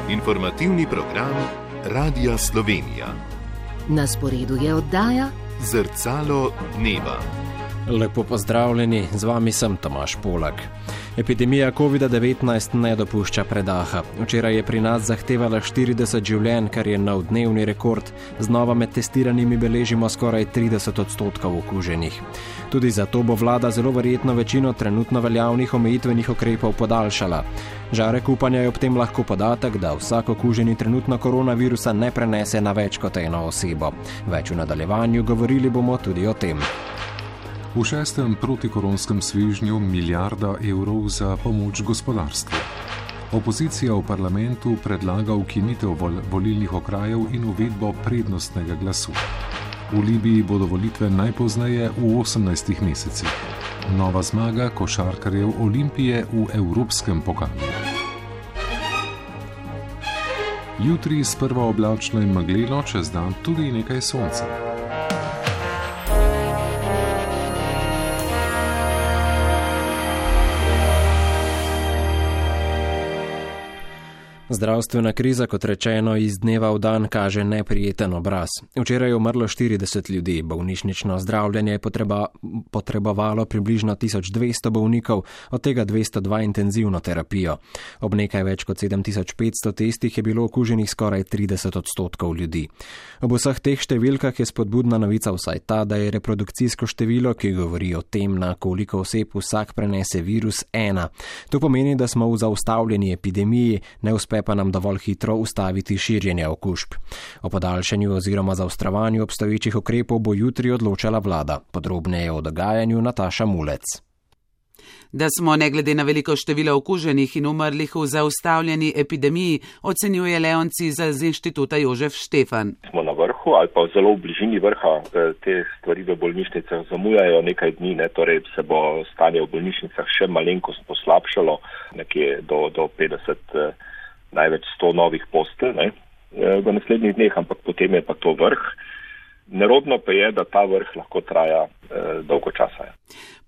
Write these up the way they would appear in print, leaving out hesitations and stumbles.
Informativni program Radia Slovenija. Na sporedu je oddaja Zrcalo dneva. Lepo pozdravljeni, z vami sem Tomaž Polak. Epidemija COVID-19 ne dopušča predaha. Včeraj je pri nas zahtevala 40 življenj, kar je nov dnevni rekord. Znova med testiranimi beležimo skoraj 30% okuženih. Tudi zato bo vlada zelo verjetno večino trenutno veljavnih omejitvenih ukrepov podaljšala. Žarek upanja je ob tem lahko podatek, da vsak okuženi trenutno koronavirusa ne prenese na več kot eno osebo. Več v nadaljevanju govorili bomo tudi o tem. V 6. protikoronskem svežnju milijarda evrov za pomoč gospodarstvu. Opozicija v parlamentu predlaga ukinitev volilnih okrajev in uvedbo prednostnega glasu. V Libiji bodo volitve najpozneje v 18 mesecih. Nova zmaga košarkarjev Olimpije v evropskem pokalu. Jutri sprva oblačno in megleno, čez dan tudi nekaj sonca. Zdravstvena kriza, kot rečeno, iz dneva v dan kaže neprijeten obraz. Včeraj je umrlo 40 ljudi, bolnišnično zdravljenje je potrebovalo približno 1200 bolnikov, od tega 202 intenzivno terapijo. Ob nekaj več kot 7500 testih je bilo okuženih skoraj 30% ljudi. Ob vseh teh številkah je spodbudna novica vsaj ta, da je reprodukcijsko število, ki govori o tem, na koliko oseb vsak prenese virus, 1. To pomeni, da smo v zaustavljeni epidemiji, ne uspe pa nam dovolj hitro ustaviti širjenje okužb. O podaljšanju oziroma zaostrovanju obstoječih ukrepov bo jutri odločala vlada. Podrobneje o dogajanju Nataša Mulec. Da smo ne glede na veliko število okuženih in umrlih v zaustavljeni epidemiji, ocenjuje Leon Cizelj z inštituta Jožef Štefan. Smo na vrhu ali pa zelo v bližini vrha, te stvari v bolnišnicah zamujajo nekaj dni, torej se bo stanje v bolnišnicah še malenkost poslabšalo, nekje do 50, največ 100 novih postelj v naslednjih dneh, ampak potem je pa to vrh. Nerodno pa je, da ta vrh lahko traja dolgo časa.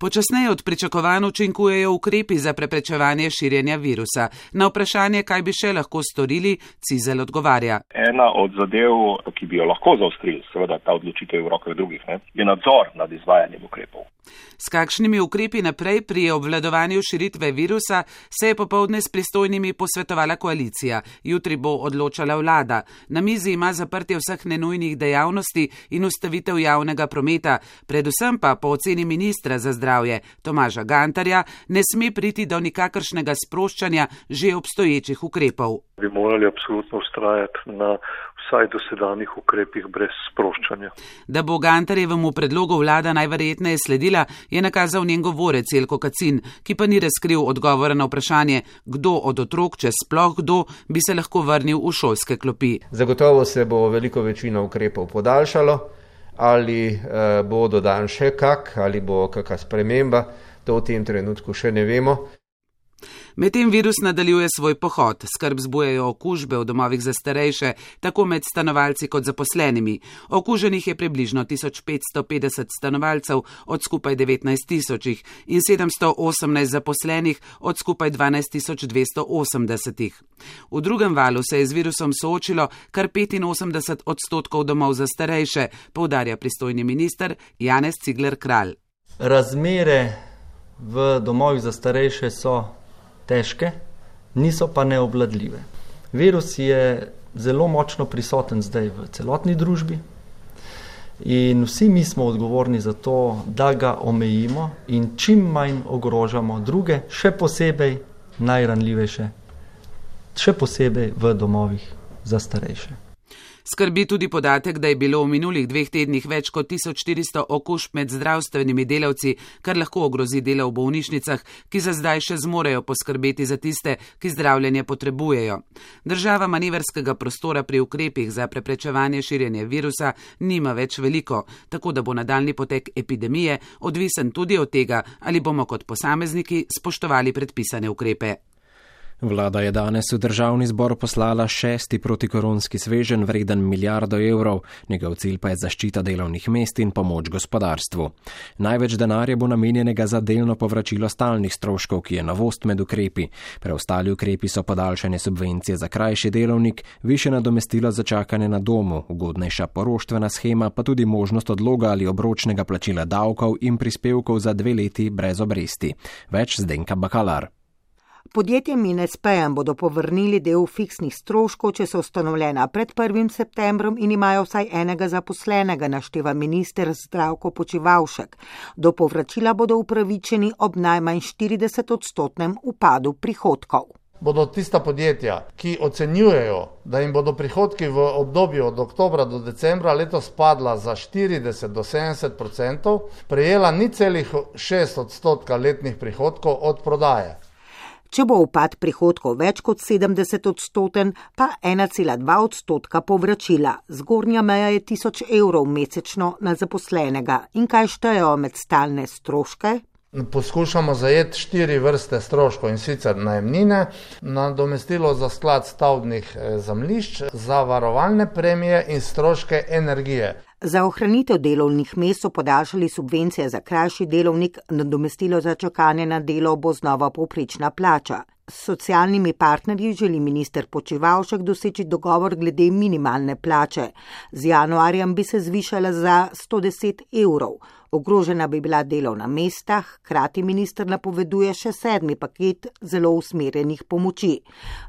Počasneje od pričakovanj učinkujejo ukrepi za preprečevanje širjenja virusa. Na vprašanje, kaj bi še lahko storili, Cizelj odgovarja. Ena od zadev, ki bi jo lahko zaostrili, seveda ta odločitev v rokah drugih, je nadzor nad izvajanjem ukrepov. S kakšnimi ukrepi naprej pri obvladovanju širitve virusa se je popoldne s pristojnimi posvetovala koalicija. Jutri bo odločala vlada. Na mizi ima zaprtje vseh nenujnih dejavnosti in ustavitev javnega prometa. Predvsem pa po oceni ministra za zdravje Tomaža Gantarja ne sme priti do nikakršnega sproščanja že obstoječih ukrepov. Bi morali absolutno ustrajati na vsaj dosedanjih ukrepih brez sproščanja. Da bo Gantarjevemu predlogu vlada najverjetneje sledila, je nakazal njen govorec Jelko Kacin, ki pa ni razkril odgovora na vprašanje, kdo od otrok, če sploh kdo, bi se lahko vrnil v šolske klopi. Zagotovo se bo veliko večino ukrepov podaljšalo, ali bo dodan še kak, ali bo kakšna sprememba, to v tem trenutku še ne vemo. Medtem virus nadaljuje svoj pohod. Skrb zbujajo okužbe v domovih za starejše, tako med stanovalci kot zaposlenimi. Okuženih je približno 1550 stanovalcev od skupaj 19 000 in 718 zaposlenih od skupaj 12 280. V drugem valu se je z virusom soočilo kar 85% domov za starejše, poudarja pristojni minister Janez Cigler Kralj. Razmere v domovih za starejše so težke, niso pa neobvladljive. Virus je zelo močno prisoten zdaj v celotni družbi in vsi mi smo odgovorni za to, da ga omejimo in čim manj ogrožamo druge, še posebej najranljivejše, še posebej v domovih za starejše. Skrbi tudi podatek, da je bilo v minulih 2 tednih več kot 1400 okužb med zdravstvenimi delavci, kar lahko ogrozi delo v bolnišnicah, ki za zdaj še zmorejo poskrbeti za tiste, ki zdravljenje potrebujejo. Država manevrskega prostora pri ukrepih za preprečevanje širjenja virusa nima več veliko, tako da bo nadaljnji potek epidemije odvisen tudi od tega, ali bomo kot posamezniki spoštovali predpisane ukrepe. Vlada je danes v državni zbor poslala 6. protikoronski sveženj vreden milijardo evrov, njegov cilj pa je zaščita delovnih mest in pomoč gospodarstvu. Največ denarja bo namenjenega za delno povračilo stalnih stroškov, ki je novost med ukrepi. Preostali ukrepi so podaljšanje subvencije za krajši delovnik, višje nadomestilo za čakanje na domu, ugodnejša poroštvena shema, pa tudi možnost odloga ali obročnega plačila davkov in prispevkov za 2 leti brez obresti. Več Zdenka Bakalar. Podjetjem in SP-jem bodo povrnili del fiksnih stroškov, če so ustanovljena pred 1. septembrom in imajo vsaj enega zaposlenega, našteva minister Zdravko Počivalšek. Do povračila bodo upravičeni ob najmanj 40% upadu prihodkov. Bodo tista podjetja, ki ocenjujejo, da jim bodo prihodki v obdobju od oktobra do decembra letos padla za 40 do 70%, prejela 0,6% letnih prihodkov od prodaje. Če bo upad prihodkov več kot 70%, pa 1,2% povračila. Zgornja meja je 1000 evrov mesečno na zaposlenega. In kaj štejejo med stalne stroške? Poskušamo zajeti 4 vrste stroškov, in sicer najemnine, nadomestilo za sklad stavbnih zemljišč, zavarovalne premije in stroške energije. Za ohranitev delovnih mest so podaljšali subvencije za krajši delovnik, nadomestilo za čakanje na delo bo znova povprečna plača. S socialnimi partnerji želi minister Počivalšek doseči dogovor glede minimalne plače. Z januarjem bi se zvišala za 110 evrov. Ogrožena bi bila delovna mesta, hkrati minister napoveduje še 7. paket zelo usmerjenih pomoči.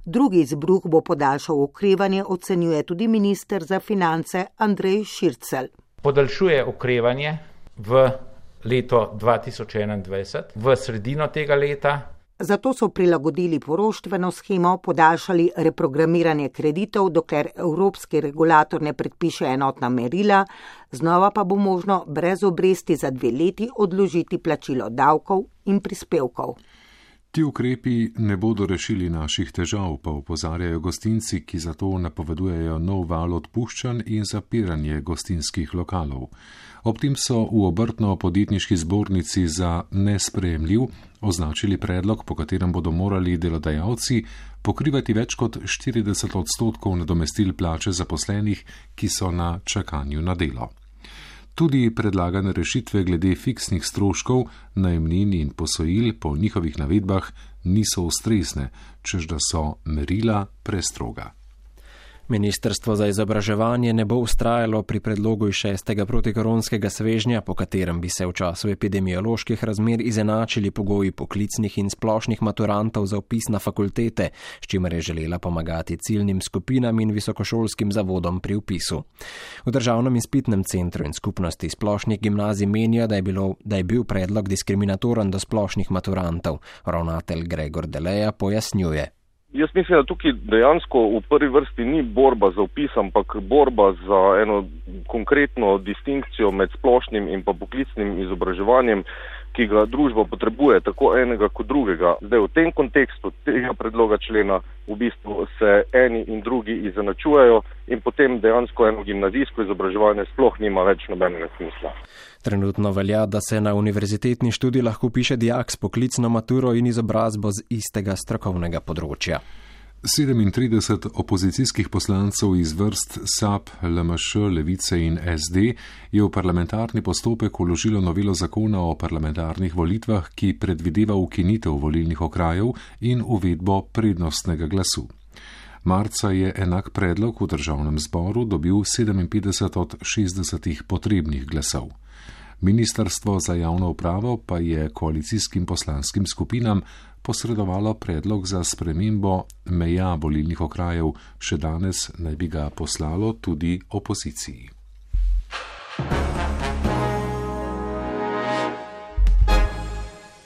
Drugi izbruh bo podaljšal okrevanje, ocenjuje tudi minister za finance Andrej Šircelj. Podaljšuje okrevanje v leto 2021, v sredino tega leta. Zato so prilagodili poroštveno shemo, podaljšali reprogramiranje kreditov, dokler evropski regulator ne predpiše enotna merila, znova pa bo možno brez obresti za 2 leti odložiti plačilo davkov in prispevkov. Ti ukrepi ne bodo rešili naših težav, pa opozarjajo gostinci, ki zato napovedujejo nov val odpuščanj in zapiranje gostinskih lokalov. Ob tem so v obrtno-podjetniški zbornici za nesprejemljiv označili predlog, po katerem bodo morali delodajalci pokrivati več kot 40% nadomestil plače zaposlenih, ki so na čakanju na delo. Tudi predlagane rešitve glede fiksnih stroškov, najemnin in posojil po njihovih navedbah niso ustrezne, čež da so merila prestroga. Ministrstvo za izobraževanje ne bo ustrajalo pri predlogu iz 6. protikoronskega svežnja, po katerem bi se v času epidemioloških razmer izenačili pogoji poklicnih in splošnih maturantov za vpis na fakultete, s čimer je želela pomagati ciljnim skupinam in visokošolskim zavodom pri vpisu. V Državnem izpitnem centru in skupnosti splošnih gimnazij menijo, da je bil predlog diskriminatoren do splošnih maturantov. Ravnatelj Gregor Deleja pojasnjuje. Jaz mislim, da tukaj dejansko v prvi vrsti ni borba za vpis, ampak borba za eno konkretno distinkcijo med splošnim in pa poklicnim izobraževanjem, ki ga družba potrebuje, tako enega kot drugega. Zdaj v tem kontekstu tega predloga člena v bistvu se eni in drugi izenačujejo in potem dejansko eno gimnazijsko izobraževanje sploh nima več nobenega smisla. Trenutno velja, da se na univerzitetni študij lahko piše dijak s poklicno maturo in izobrazbo z istega strokovnega področja. 37 opozicijskih poslancev iz vrst SAB, LMŠ, Levice in SD je v parlamentarni postopek vložilo novelo zakona o parlamentarnih volitvah, ki predvideva ukinitev volilnih okrajev in uvedbo prednostnega glasu. Marca je enak predlog v državnem zboru dobil 57 od 60 potrebnih glasov. Ministrstvo za javno upravo pa je koalicijskim poslanskim skupinam posredovalo predlog za spremembo meja volilnih okrajev, še danes naj bi ga poslalo tudi opoziciji.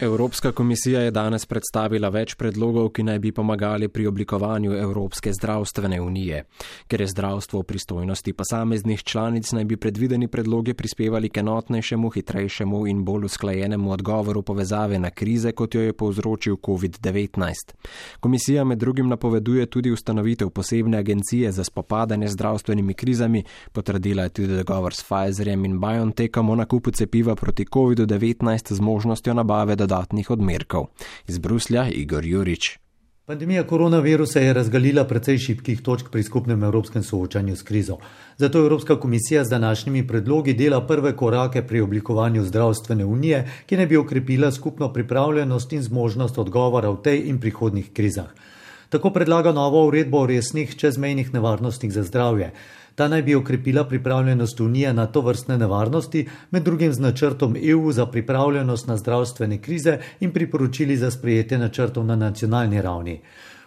Evropska komisija je danes predstavila več predlogov, ki naj bi pomagali pri oblikovanju Evropske zdravstvene unije. Ker je zdravstvo v pristojnosti posameznih članic, naj bi predvideni predlogi prispevali k enotnejšemu, hitrejšemu in bolj usklajenemu odgovoru povezave na krize, kot jo je povzročil COVID-19. Komisija med drugim napoveduje tudi ustanovitev posebne agencije za spopadanje z zdravstvenimi krizami, potrdila je tudi dogovor s Pfizerjem in BioNTechom o nakupu cepiva proti COVID-19 z možnostjo nabave dodatnih odmerkov. Iz Bruslja Igor Jurič. Pandemija koronavirusa je razgalila precej šibkih točk pri skupnem evropskem soočanju s krizo. Zato Evropska komisija z današnjimi predlogi dela prve korake pri oblikovanju zdravstvene unije, ki naj bi okrepila skupno pripravljenost in zmožnost odgovora v tej in prihodnjih krizah. Tako predlaga novo uredbo o resnih čezmejnih nevarnostih za zdravje. Ta naj bi okrepila pripravljenost Unije na to vrstne nevarnosti, med drugim z načrtom EU za pripravljenost na zdravstvene krize in priporočili za sprejetje načrtov na nacionalni ravni.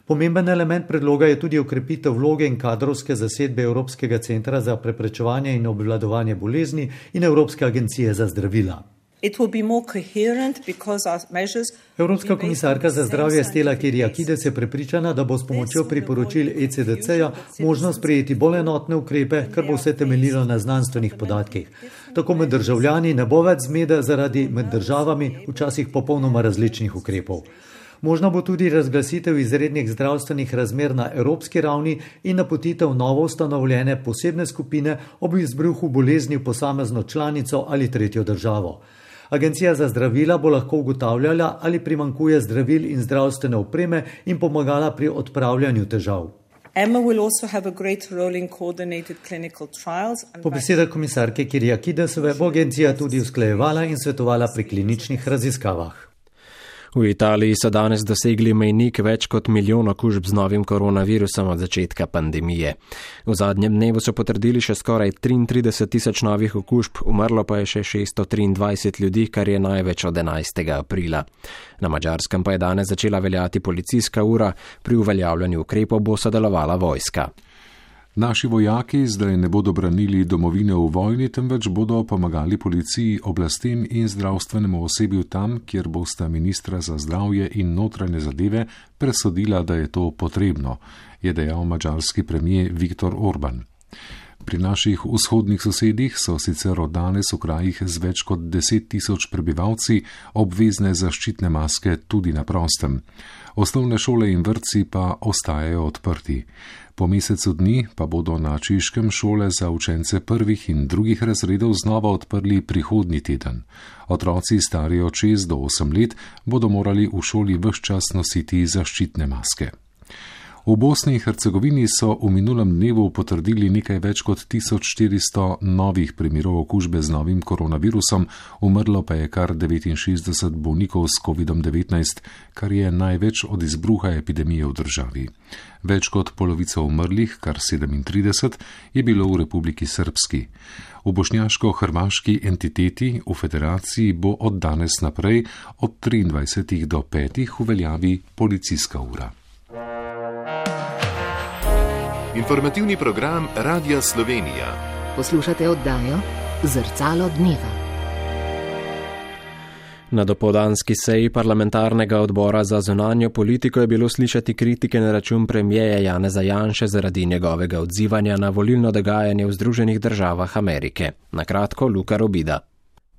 Pomemben element predloga je tudi okrepitev vloge in kadrovske zasedbe Evropskega centra za preprečevanje in obvladovanje bolezni in Evropske agencije za zdravila. Evropska komisarka za zdravje Stella Kyriakides je prepričana, da bo s pomočjo priporočil ECDC-ja možno sprejeti bolj enotne ukrepe, kar bo vse temeljilo na znanstvenih podatkih. Tako med državljani ne bo več zmede zaradi med državami včasih popolnoma različnih ukrepov. Možno bo tudi razglasitev izrednih zdravstvenih razmer na evropski ravni in napotitev novo ustanovljene posebne skupine ob izbruhu bolezni v posamezno članico ali tretjo državo. Agencija za zdravila bo lahko ugotavljala, ali primanjkuje zdravil in zdravstvene opreme in pomagala pri odpravljanju težav. Po besedah komisarke Kyriakidesove bo agencija tudi usklajevala in svetovala pri kliničnih raziskavah. V Italiji so danes dosegli mejnik več kot 1 milijon okužb z novim koronavirusom od začetka pandemije. V zadnjem dnevu so potrdili še skoraj 33 tisoč novih okužb, umrlo pa je še 623 ljudi, kar je največ od 11. aprila. Na Madžarskem pa je danes začela veljati policijska ura, pri uveljavljanju ukrepov bo sodelovala vojska. Naši vojaki zdaj ne bodo branili domovine v vojni, temveč bodo pomagali policiji, oblastem in zdravstvenemu osebju tam, kjer bosta ministra za zdravje in notranje zadeve presodila, da je to potrebno, je dejal madžarski premier Viktor Orban. Pri naših vzhodnih sosedih so sicer od danes v krajih z več kot 10 tisoč prebivalci obvezne zaščitne maske tudi na prostem. Osnovne šole in vrtci pa ostajajo odprti. Po mesecu dni pa bodo na Češkem šole za učence prvih in drugih razredov znova odprli prihodnji teden. Otroci stari od 6 do 8 let bodo morali v šoli ves čas nositi zaščitne maske. V Bosni in Hercegovini so v minulem dnevu potrdili nekaj več kot 1400 novih primerov okužbe z novim koronavirusom, umrlo pa je kar 69 bolnikov s COVID-19, kar je največ od izbruha epidemije v državi. Več kot polovica umrlih, kar 37, je bilo v Republiki Srpski. V bošnjaško-hrvaški entiteti v federaciji bo od danes naprej od 23 do 5 v veljavi policijska ura. Informativni program Radia Slovenija. Poslušate oddajo Zrcalo dneva. Na dopoldanski seji parlamentarnega odbora za zunanjo politiko je bilo slišati kritike na račun premijeja Janeza Janše zaradi njegovega odzivanja na volilno dogajanje v Združenih državah Amerike. Na kratko, Luka Robida.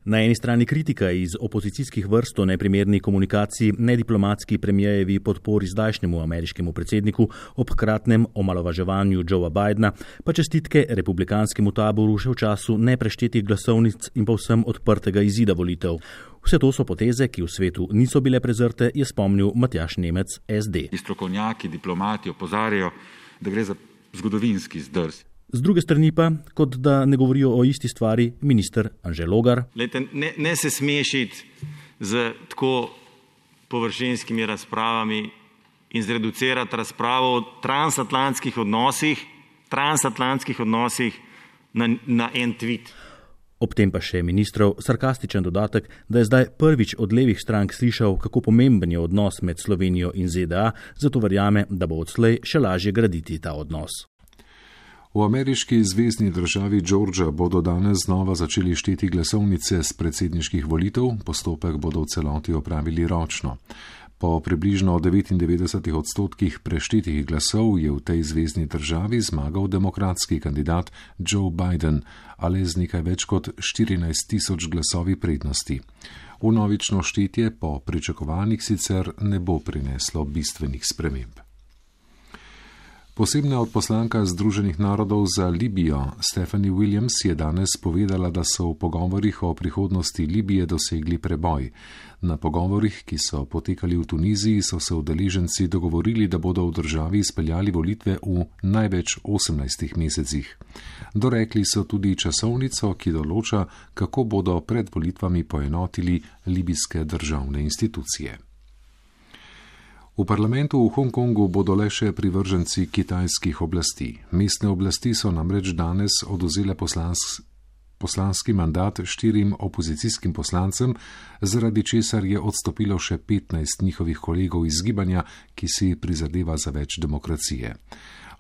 Na eni strani kritika iz opozicijskih vrst o neprimerni komunikaciji, nediplomatski premijejevi podpori zdajšnjemu ameriškemu predsedniku ob hkratnem omalovaževanju Joea Bidena, pa čestitke republikanskemu taboru še v času nepreštetih glasovnic in povsem odprtega izida volitev. Vse to so poteze, ki v svetu niso bile prezrte, je spomnil Matjaž Nemec, SD. Strokovnjaki, diplomati opozarjajo, da gre za zgodovinski zdrs. Z druge strani pa, kot da ne govorijo o isti stvari, minister Anže Logar. Lejte, ne se smešiti z tako površinskimi razpravami in zreducirati razpravo o transatlantskih odnosih na en tweet. Ob tem pa še ministrov sarkastičen dodatek, da je zdaj prvič od levih strank slišal, kako pomemben je odnos med Slovenijo in ZDA, zato verjame, da bo odslej še lažje graditi ta odnos. V ameriški zvezni državi Georgia bodo danes znova začeli šteti glasovnice z predsedniških volitev, postopek bodo v celoti opravili ročno. Po približno 99% preštetih glasov je v tej zvezni državi zmagal demokratski kandidat Joe Biden, ali z nekaj več kot 14,000 glasovi prednosti. Vnovično štetje po pričakovanjih sicer ne bo prineslo bistvenih sprememb. Posebna odposlanka Združenih narodov za Libijo Stephanie Williams je danes povedala, da so v pogovorih o prihodnosti Libije dosegli preboj. Na pogovorih, ki so potekali v Tuniziji, so se udeleženci dogovorili, da bodo v državi izpeljali volitve v največ 18 mesecih. Dorekli so tudi časovnico, ki določa, kako bodo pred volitvami poenotili libijske državne institucije. V parlamentu v Hongkongu bodo le še privrženci kitajskih oblasti. Mestne oblasti so namreč danes odvzele poslanski mandat 4 opozicijskim poslancem, zaradi česar je odstopilo še 15 njihovih kolegov iz gibanja, ki si prizadeva za več demokracije.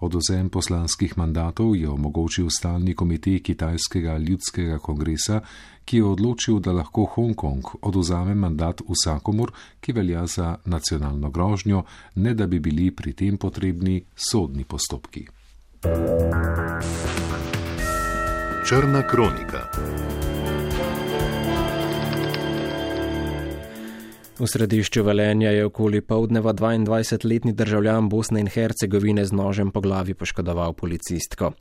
Odvzem poslanskih mandatov je omogočil stalni komitej Kitajskega ljudskega kongresa, ki je odločil, da lahko Hongkong odvzame mandat vsakomur, ki velja za nacionalno grožnjo, ne da bi bili pri tem potrebni sodni postopki. Črna kronika. V središču Velenja je okoli poldneva 22-letni državljan Bosne in Hercegovine z nožem po glavi poškodoval policistko.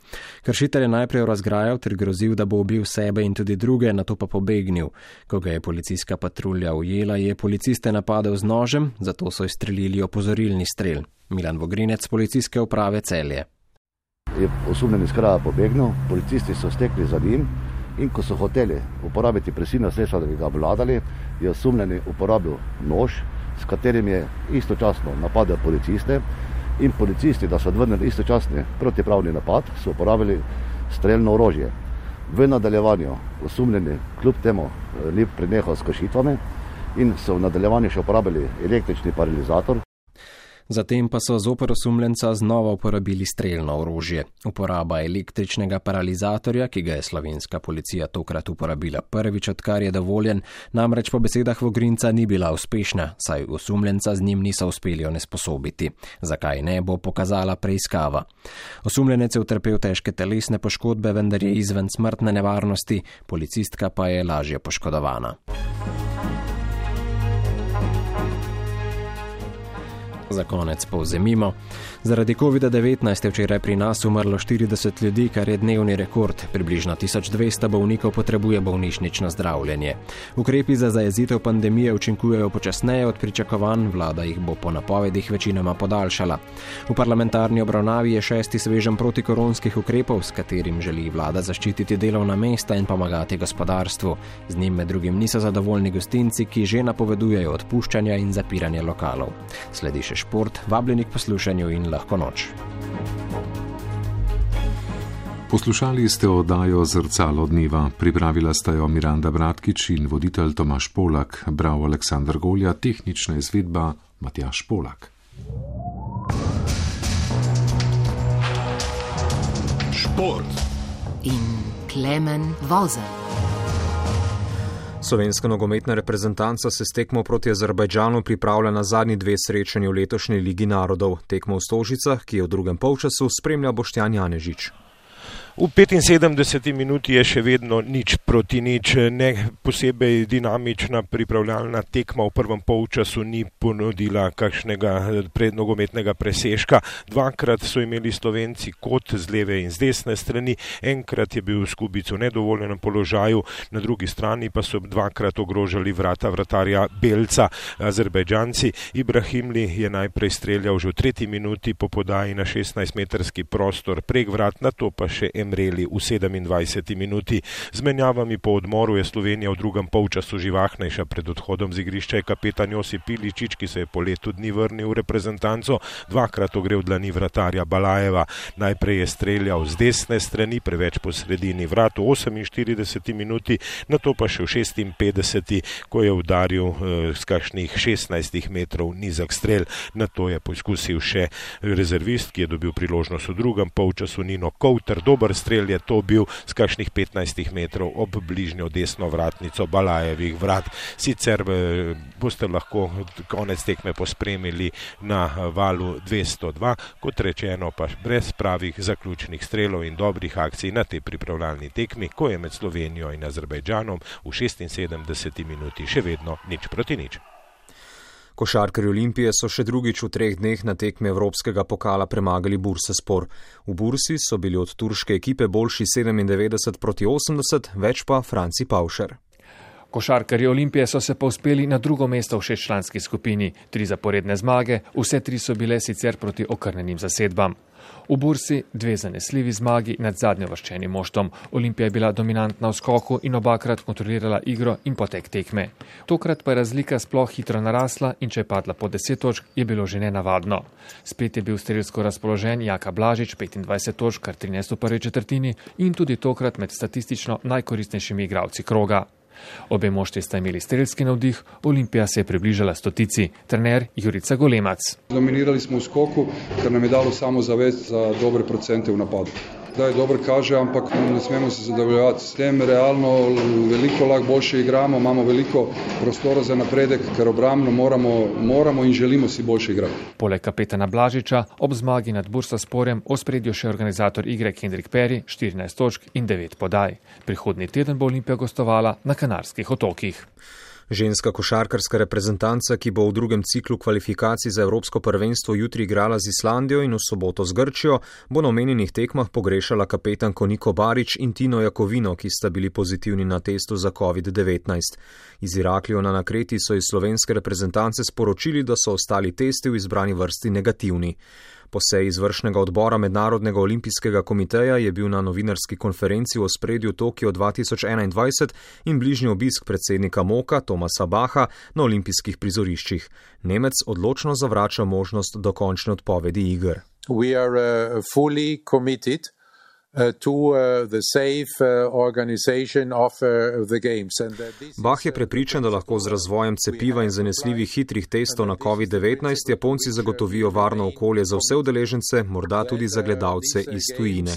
Kršitelj je najprej razgrajal ter grozil, da bo ubil sebe in tudi druge, nato pa pobegnil. Ko ga je policijska patrulja ujela, je policiste napadel z nožem, zato so izstrelili opozorilni strel. Milan Vogrinec, policijske uprave Celje. Je osumljeni iz kraja pobegnil, policisti so stekli za njim in ko so hoteli uporabiti prisilna sredstva, da bi ga obvladali, je osumljeni uporabil nož, s katerim je istočasno napadel policiste in policisti, da so odvrnili istočasni protipravni napad, so uporabili strelno orožje. V nadaljevanju osumljeni kljub temu ni prenehal s kršitvami in so v nadaljevanju še uporabili električni paralizator. Zatem pa so zoper osumljenca znova uporabili strelno orožje. Uporaba električnega paralizatorja, ki ga je slovenska policija tokrat uporabila prvič, odkar je dovoljen, namreč po besedah Vogrinca ni bila uspešna, saj osumljenca z njim niso uspeli onesposobiti. Zakaj ne, bo pokazala preiskava. Osumljenec je utrpel težke telesne poškodbe, vendar je izven smrtne nevarnosti, policistka pa je lažje poškodovana. Za konec povzemimo. Zaradi COVID-19 je včeraj pri nas umrlo 40 ljudi, kar je dnevni rekord. Približno 1200 bolnikov potrebuje bolnišnično zdravljenje. Ukrepi za zajezitev pandemije učinkujejo počasneje od pričakovanj, vlada jih bo po napovedih večinoma podaljšala. V parlamentarni obravnavi je 6. sveženj protikoronskih ukrepov, s katerim želi vlada zaščititi delovna mesta in pomagati gospodarstvu. Z njim med drugim niso zadovoljni gostinci, ki že napovedujejo odpuščanja in zapiranje lokalov. Sledi še šport, vabljeni k poslušanju in lahko noč. Poslušali ste oddajo Zrcalo dneva. Pripravila sta jo Miranda Bratkič in voditelj Tomaž Polak, bral Aleksandar Golja, tehnična izvedba Matjaž Polak. Šport in Klemen Vozelj. Slovenska nogometna reprezentanca se s tekmo proti Azerbajdžanu pripravlja na zadnji 2 srečanji v letošnji Ligi narodov. Tekmo v Stožicah, ki je v drugem polčasu, spremlja Boštjan Janežič. V 75. minuti je še vedno 0-0, ne posebej dinamična pripravljalna tekma v prvem polčasu ni ponudila kakšnega prednogometnega presežka. Dvakrat so imeli Slovenci kot z leve in z desne strani, enkrat je bil Skubic v nedovoljenem položaju, na drugi strani pa so dvakrat ogrožali vrata vratarja Belca. Azerbajdžanci. Ibrahimli je najprej streljal že v 3. minuti po podaji na 16-metrski prostor prek vrat, nato pa še Emreli v 27. minuti. Z menjavami po odmoru je Slovenija v drugem polčasu živahnejša. Pred odhodom z igrišča je kapetan Josip Iličić, ki se je po letu dni vrnil v reprezentanco, dvakrat ogrel dlani vratarja Balajeva. Najprej je streljal z desne strani, preveč po sredini vrat v 48. minuti, nato pa še v 56. ko je udaril z kakšnih 16 metrov nizak strel. Nato je poskusil še rezervist, ki je dobil priložnost v drugem polčasu, Nino Kouter. Dober strel je to bil z kakšnih 15 metrov ob bližnjo desno vratnico Balajevih vrat. Sicer boste lahko konec tekme pospremili na valu 202, kot rečeno pa brez pravih zaključnih strelov in dobrih akcij na tej pripravljalni tekmi, ko je med Slovenijo in Azerbajdžanom v 76. minuti še vedno 0-0. Košarkarji Olimpije so še drugič v 3 dneh na tekmi Evropskega pokala premagali Bursaspor. V Bursi so bili od turške ekipe boljši 97-80, več pa Franci Pavšer. Košarkarji Olimpije so se povzpeli na drugo mesto v 6-članski skupini. 3 zaporedne zmage, vse 3 so bile sicer proti okrnjenim zasedbam. V Bursi 2 zanesljivi zmagi nad zadnjeuvrščenim moštvom. Olimpija je bila dominantna v skoku in obakrat kontrolirala igro in potek tekme. Tokrat pa je razlika sploh hitro narasla in če je padla po 10 točk, je bilo že nenavadno. Spet je bil strelsko razpoložen Jaka Blažič, 25 točk, kar 13 v prvi četrtini in tudi tokrat med statistično najkoristnejšimi igralci kroga. Obe moštvi sta imeli strelski navdih, Olimpija se je približala 100-tici, trener Jurica Golemac. Dominirali smo v skoku, kar nam je dalo samozavest za dobre procente v napadu. Da je dobro kaže, ampak ne smemo se zadovoljevati s tem. Realno veliko lahko boljše igramo, imamo veliko prostora za napredek, ker obrambno moramo in želimo si boljše igrati. Poleg kapetana Blažiča ob zmagi nad Bursasporjem ospredju še organizator igre Kendrick Perry, 14 točk in 9 podaj. Prihodnji teden bo Olimpija gostovala na Kanarskih otokih. Ženska košarkarska reprezentanca, ki bo v drugem ciklu kvalifikacij za Evropsko prvenstvo jutri igrala z Islandijo in v soboto z Grčijo, bo na omenjenih tekmah pogrešala kapetanko Niko Barič in Tino Jakovino, ki sta bili pozitivni na testu za COVID-19. Iz Iraklijona na Kreti so iz slovenske reprezentance sporočili, da so ostali testi v izbrani vrsti negativni. Po seji izvršnega odbora Mednarodnega olimpijskega komiteja je bil na novinarski konferenci v ospredju Tokio 2021 in bližnji obisk predsednika MOKA Tomasa Bacha na olimpijskih prizoriščih. Nemec odločno zavrača možnost dokončne odpovedi iger. We are fully committed to the safe organization of the games. Bach je prepričan, da lahko z razvojem cepiva in zanesljivih hitrih testov na COVID-19 Japonci zagotovijo varno okolje za vse udeležence, morda tudi za gledalce iz tujine.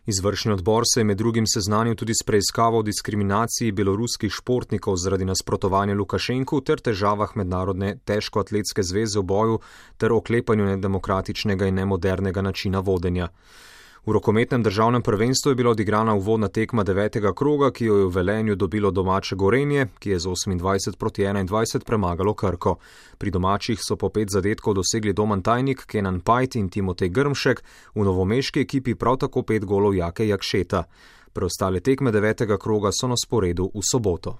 Izvršni odbor se je med drugim seznanil tudi s preiskavo o diskriminaciji beloruskih športnikov zaradi nasprotovanja Lukašenku ter težavah Mednarodne težkoatletske zveze v boju ter oklepanju nedemokratičnega in nemodernega načina vodenja. V rokometnem državnem prvenstvu je bila odigrana uvodna tekma 9. kroga, ki jo je v Velenju dobilo domače Gorenje, ki je z 28-21 premagalo Krko. Pri domačih so po 5 zadetkov dosegli Doman Tajnik, Kenan Pajt in Timotej Grmšek, v novomeški ekipi prav tako 5 golov Jake Jakšeta. Preostale tekme 9. kroga so na sporedu v soboto.